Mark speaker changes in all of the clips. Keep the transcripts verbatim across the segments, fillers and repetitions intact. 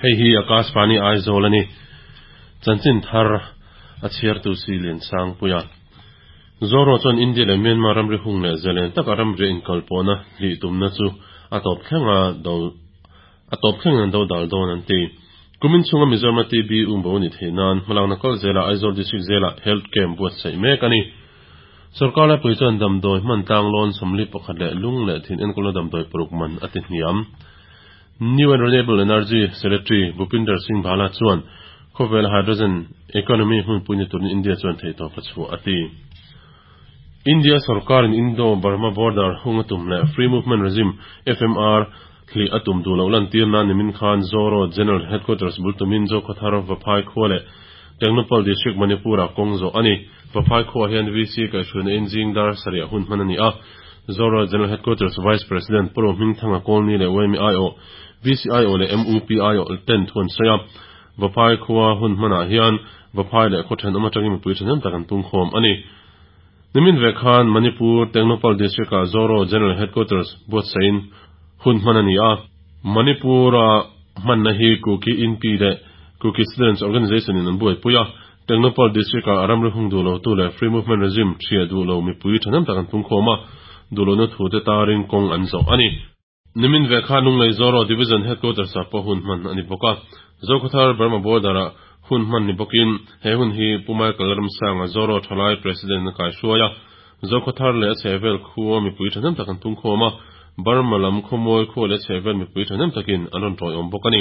Speaker 1: Hei hi Akashvani Aizawl a ni. Chanchin thar a chhiartu si Lian Sangpuia. Zoro chuan India leh Myanmar ramri hung leh zalen taka ramri inkalpawhna hlih tumna chu a tawp thlenga do a tawp thleng an do dal dawn an ti. Kumin chhunga Mizoram T B umbo ni theih nan hmalakna kal zela Aizawl District zela Health Camp buatsaih mek a ni. Sarkar laipui chuan damdawi hman tlang lawn sawmli pakhat leh lung leh thin enkawlna damdawi paruk man a ti hniam. New and Renewable Energy Secretary Bhupinder Singh Bhalla chuan khawvel hydrogen economy hmunpui ni turin India chuan theihtawp a chhuah a ti. India sarkar in Indo-Burma border hung a tum leh Free Movement Regime F M R hli a tum duh loh lan tir na nimin khan Zoro General Headquarters bul tumin Zokhawthar Vaphai khua leh Tengnoupal District Manipur ah kawng zawh a ni. Vaphai khua hian V C kaihhruaina in zing dar sarih hun hman a ni a. Zoro General Headquarters Vice President Puro Hmingthanga Kawlni leh W M I O V C I O leh M U P I O ten thuan sawi a. Vaphai khua hun hmanah hian Vaphai leh khaw thenawm atangin mipui thahnem tak an tung khawm a ni. Nimin ve khan Manipur Tengnoupal District ah Zoro General Headquarters buatsaih in hun hman a ni a. Manipur a hmanna hi Kuki Inpi leh Kuki Students Organization in an buaipui a. Tengnoupal District ah ramri hung duh lo tu leh Free Movement Regime thiah duh lo mipui thahnem tak an tung khawm a. Duh lohna thu te tarin kawng an zawh a ni. Nimin ve khan Lunglei Zoro Division Headquarters ah pawh hun hman a ni bawk a. Zokhawthar Burma border ah hun hman ni bawkin he hun hi Pu Michael Ramsanga Zoro Thalai President na kai hruai a. Zokhawthar leh a chhehvel khua mipui thahnem tak an tung khawm a. Burma lam khawmawi khua leh a chhehvel mipui thahnem takin an rawn tawiawm bawk a ni.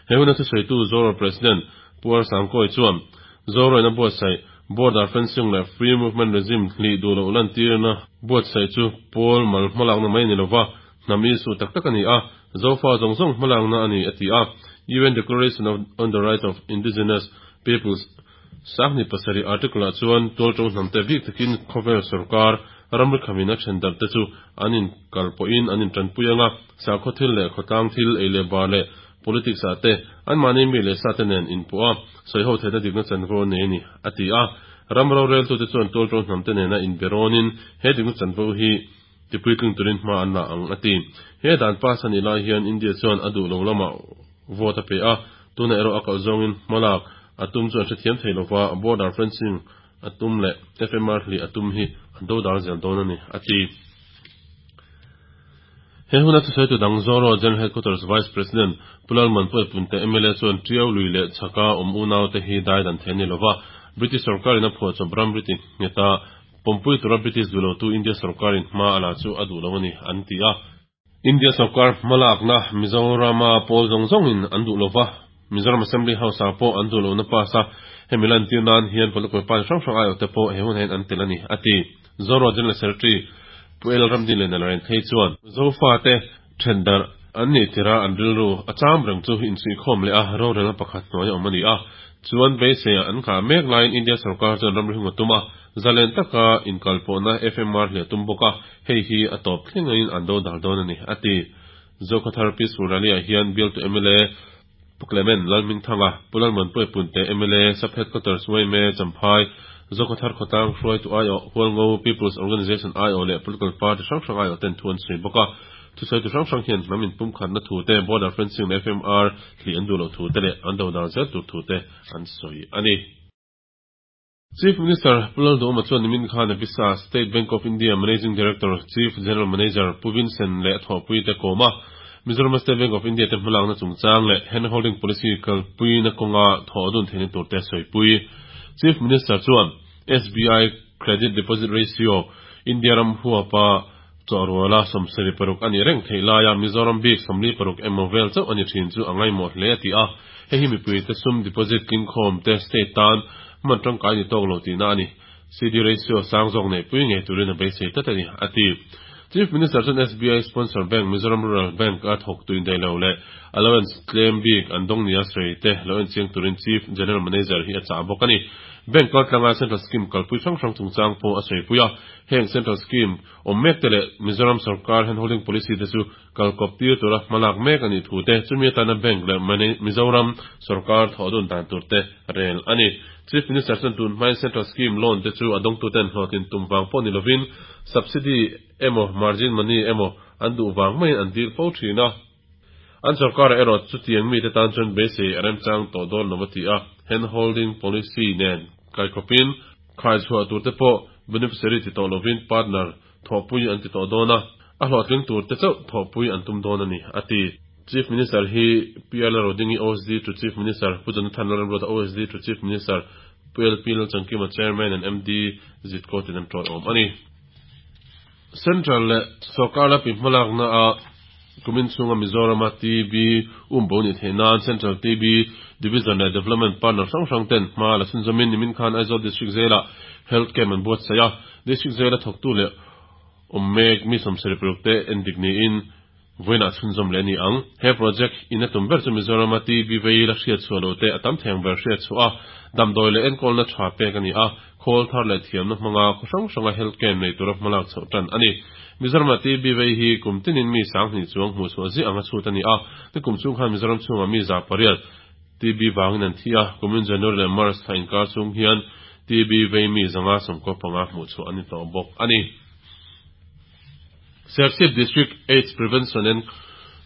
Speaker 1: He hun a thusawitu Zoro President Pu Ar Sangkawi chuan Zoro in a buatsaih border fencing leh Free Movement Regime hlih duh loh lan tirna buatsaih chu pawl mal hmalakna mai ni lova hnam isu tak tak a ni a. Zofa zawng zawng hmalakna a ni a ti a. U N Declaration of on the Rights of Indigenous Peoples sangni pasarih article ah chuan tualtawng hnam te bik takin khawvel sarkar ramri khamin a then darh te chu an in kalpawhin an in tanpui anga sakhaw thil leh khawtlang thil ei leh bar leh politics ah te an mahni mi leh sa te nen inpawh a sawiho theihna dikna chanvo nei a ni a ti a. Ram rorel tu te chuan tualtawng hnam te nena inberawnin he dikna chanvo hi tipui tling turin hma an la ang a ti. He dan pass ani lai hian India chuan a duh lo lamah vote a pe a. Tuna erawh a kalh zawngin hmalak a tum chuan hrethiam thei lova border fencing a tum leh F M R hli a tum hi an do dal zel dawn a ni a ti. He hun a thusawitu dang Zoro General Headquarters Vice President Pulal Manpui Punte M L A chuan Tiau lui leh chhaka awm unau te hi dai dan thei ni lova British sarkarin a phuah chawp ramri ti ngeta pompui tura British duh lo tu India sarkarin hma a la chu a duh lo a ni an ti a. India sarkar hmalakna Mizorama pawl zawng zawngin an duh lova Mizoram Assembly House ah pawh an duh lohna pass a hemi lan tir nan hian political party hrang hrang ai awh te pawh he hun hian an tel a ni a ti. Zoro General Secretary Pu El Ramdin leh Nalaren Thei chuan Zofa te then darh an nih tira an rilru a cham reng chu insuihkhawm leh a rorelna pakhat hnuai a awm a ni a. Chuan beisei an nghah mek laiin India sarkar chuan ramri hung a tum a. Zalen taka inkalpawhna F M R hle tum bawk a. Hei hi a tawp thlengin an do dal dawn a ni a ti. Zokhawthar Peaceful Rally ah hian bialtu M L A Pu Clement Lalhmingthanga Pu Lalmanpui Punte M L A Sub Headquarters Waime Champhai Zokhawthar Khawtlang hruaitu I O Hualngo People's Organization I O leh Political Party hrang hrang I O ten thu an sawi bawk a. Thusawitu hrang hrang hian hnam inpum khatna thu te border fencing leh F M R hli an duh loh thu te leh an do dal zel tur thu te an sawi a ni. Chief Minister Pu Lalduhoma chuan nimin khan Avisa State Bank of India Managing Director Chief General Manager Pu Vincent leh thawhpui te kawm a. Mizoram State Bank of India te hmalakna chungchang leh handholding policy kalpuina kawnga thawh dun theihna tur te sawipui. Chief Minister chuan S B I Credit Deposit Ratio India ram huapa chawhruala sawmsarih paruk a ni reng theih laia Mizoram bik sawmli paruk emaw vel chauh a ni thin chu a ngaimawh hle a ti a. Hei hi mipui te sum deposit tling khawm te state tan man tangkai ni tawk lo tihna a ni. C D ratio sang zawk nei pui ngei turin a beisei tlat a ni a ti. Chief Minister chuan S B I sponsor bank Mizoram Rural Bank a thawk tuin dei lo leh allowance claim bik an dawng nia sawi te lo enchiang turin Chief General Manager hi a chah bawk a ni. Bank kaltlanga Central Scheme kalpui hrang hrang chungchang pawh a sawipui a. Heng Central Scheme awm mek te leh Mizoram sarkar handholding policy te chu kalkawp tir tura hmalak mek a nih thu te chumi atana bank leh Mizoram sarkar thawh dun dan tur te rel a ni. Chief Minister chuan tun hmain Central Scheme loan te chu a dawngtu ten hlawhtlin tum vang pawh ni lovin subsidy emaw margin money emaw an duh vang maiin an dil fo thin a. An sorkarah erawh chutiang mite tan chuan beisei a remchang tawh dawn lo a ti a, hand-holding policy nen kaikhawpin khaichhuah turte pawh beneficiary ti tawh lovin partner thawhpui an ti tawh dawn a, a hlawhtling turte chauh thawhpui an tum dawn a ni, a ti. Chief Minister hi P R Lalrodingi O S D to Chief Minister, Pu Jonathan Lalremruata O S D to Chief Minister, Pu L P Lalchangkima Chairman and M D Zitko ten an tawiawm a ni. Central leh sorkar lapi hmalakna a kumin chhunga Mizorama T B umbo ni theih nan Central T B Division leh Development Partner hrang hrang ten hma la chhunzawmin nimin khan Aizawl District Jail-ah Health Camp an buatsaih a, District Jail-a thawktu leh awm mek mi sawmsarih paruk te endik niin vawiinah chhunzawm leh a ni ang. He project in a tum ber chu Mizorama T B vei la hriat chhuah lo te a tam theng ber hriat chhuah a, damdawi leh enkawlna tha pek a ni a, khawl thar leh thiamna hmanga khaw hrang hranga health camp nei tura hmalak chhoh tan a ni. Mizorama T B vei hi kum tinin mi sanghnih chuang hmuh chhuah ziah anga chhut a ni a, ni kum chhung khan Mizoram chhungah mi za pariat T B vangin an thi a, kumin January leh March thla inkar chhung hian T B vei mi zanga sawmkaw panga hmuh chhuah a ni tawh bawk a ni. Serchhip District AIDS Prevention and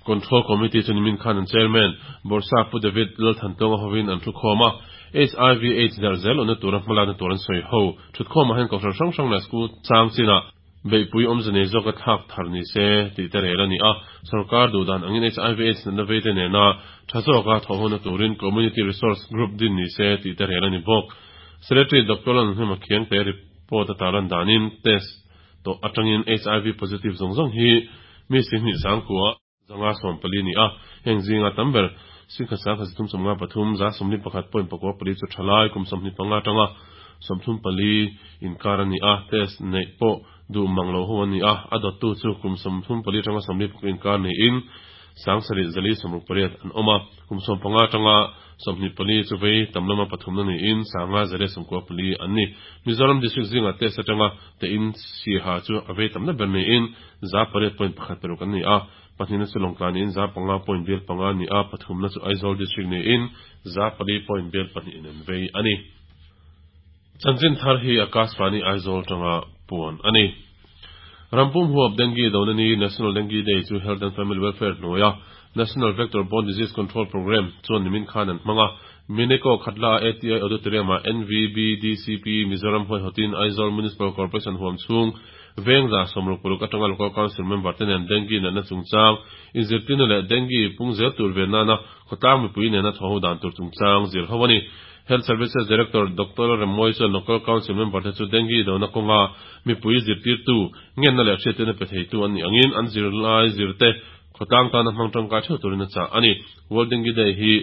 Speaker 1: Control Committee chu nimin khan an Chairman Bawrhsap Pu David Lalthantawnga hovin an thukhawm a, H I V AIDS darh zel awmna tura hmalakna tur an sawi ho. Thutkhawmah hian kohhran hrang hrang leh school chang chinah beihpui awmze nei zawka thlak thar ni se tih te rel a ni a, sorkar duhdan angin H I V AIDS natna veite nena tha zawka thawhhawna turin Community Resource Group din ni se tih te rel a ni bawk. Secretary Doctor Lalnunhlima Khiangte report a tarlan danin test tawh atangin H I V positive zawng zawng hi mi singhnih sangkua zanga sawm pali ni a, heng zinga tam ber singkhat sangkhat zathum sawmnga pathum za sawmli pakhat point pakua pali chu thalai kum sawmhnih panga atanga sawmthum pali inkar a ni a, test neih pawh duh mang lo ho a ni a, a dawttu chu kum sawmthum pali atanga sawmli pakua inkar niin sangsarih zali sawmruk pariat an awm a, kum sawm panga atanga sawmhnih pali chu vei tam lama pathumna niin sanga zali sawmkua pali an ni. Mizoram District zinga test atanga tein siha chu a vei tamna ber niin za pariat point pakhat paruk an ni a, pahnihna chu Lawngtlai niin za panga point bial panga ni a, pathumna chu Aizawl District niin za pali point bial pahnih in an vei a ni. Chanchin thar hi Akashvani Aizawl tanga puan a ni. Rampum huap Dengue dona ni National Dengue Day chu Health and Family Welfare hnuaia National Vector Borne Disease Control Program chuan nimin khan an hmang a, Mineko Khatla A T I Auditorium ah N V B D C P Mizoram huaihawtin Aizawl Municipal Corporation huam chhung Vengza sawmruk paruk atanga Local Council member te nen dengue natna chungchang inzirtirna leh dengue pung zel tur ve nana khawtlang mipui nena thaw ho dan tur chungchang zir ho a ni. Health Services Director Doctor Remoi chuan Local Council member te chu dengue dona kawnga mipui zirtirtu ngenna leh hriattirna pe theitu an nih angin an zirlai zirte khawtlang tana hmang tangkai theuh turin a chah a ni. World Dengue Day hi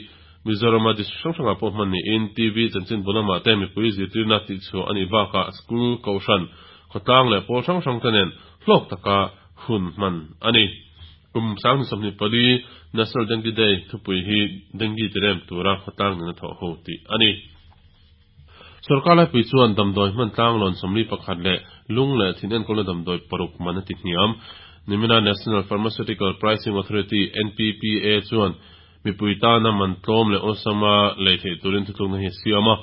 Speaker 1: Mizorama district hrang hrangah pawh hman niin T V chanchin bulamah te mipui zirtirna tihchhuah a nih bakah school kohhran khawtlang leh pawl hrang hrang te nen hlawk taka hun hman a ni. Kum sanghnih sawmhnih pali National Dengue Day thupui hi dengue tirem tura khawtlang nena thawh ho tih a ni. Sorkar laipui chuan damdawi hman tlang lawn sawmli pakhat leh lung leh thin enkawlna damdawi paruk man a ti hniam. Nimina National Pharmaceutical Pricing Authority N P P A chuan mipui tana man tlawm leh awlsama lei theih turin thutlukna hi a siam a.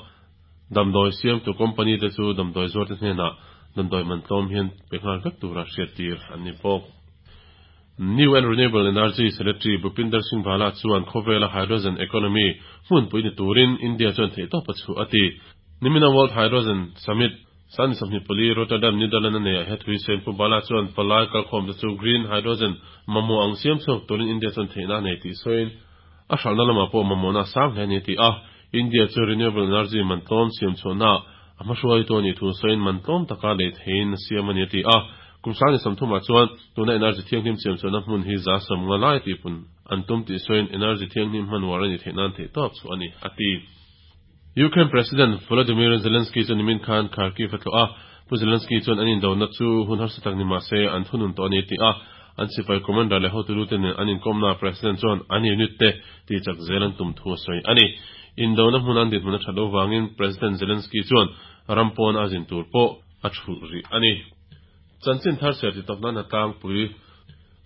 Speaker 1: Damdawi siamtu company te chu damdawi zuarte hnenah damdawi man tlawm hian pe nghal vek tura hriat tir an ni bawk. New and Renewable Energy Secretary Bhupinder Singh Bhalla chuan khawvela hydrogen economy hmunpui ni turin India chuan theih tawp a chhuah a ti. Nimina World Hydrogen Summit sani sawmhnih pali Rotterdam Netherlands a nei ah he thui sen Pu Bhalla chuan palai kalkhawm te chu green hydrogen mamawh ang siam chhuak turin India chuan theihna a nei tih sawiin a hralhna lamah pawh mamawhna a sang hle a ni ti a. India chu renewable energy man tlawm siam chhuahna a hmahruai tu a nih thu sawiin man tlawm taka lei theiin a siam a ni a ti a. Kum sangni sawmthumah chuan tuna energy thianghlim siam chhuahna hmun hi za sawm nga lai tihpun an tum tih sawiin energy thianghlim hman uar a ni theih nan theih tawp chu a ni a ti. Ukraine President Volodymyr Zelensky chu nimin khan Kharkiv a tlawh a, Pu Zelensky chuan an indona chu hun harsa tak ni mah se an thunun tawh a ni ti a, an sipai commander leh hotu lute nen an inkawmna President chuan an unit te tih chak zel an tum thu a sawi a ni. Indona hmun an dinhmun a that lo vangin President Zelensky chuan ram pawn a zin tur pawh a thulh rih a ni. Chanchin thar ser ti tawp nan a tlangpui.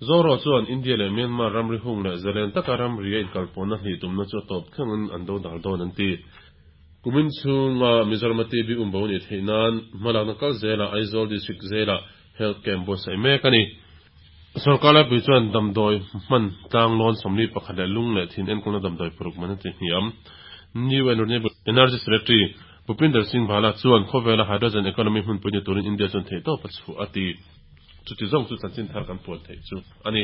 Speaker 1: Zoro chuan India leh Myanmar ramri hung leh zalen taka ramri a inkalpawhna hnih tumna chu a tawp thlengin an do dal dawn an ti. Kumin chhunga Mizorama T B umbo ni theih nan hmalakna kal zelah Aizawl District zelah Health Camp buatsaih mek a ni. Sorkar laipui chuan damdawi hman tlanglawn sawmli pakhat leh lung leh thin enkawlna damdawi paruk man a ti hniam. New and Renewable Energy Secretary Bhupinder Singh Bhalla chuan khawvela hydrogen economy hmunpui ni turin India chuan theihtawp a chhuah a ti. Chuti zawng chu chanchin thar kan puan theih chu a ni.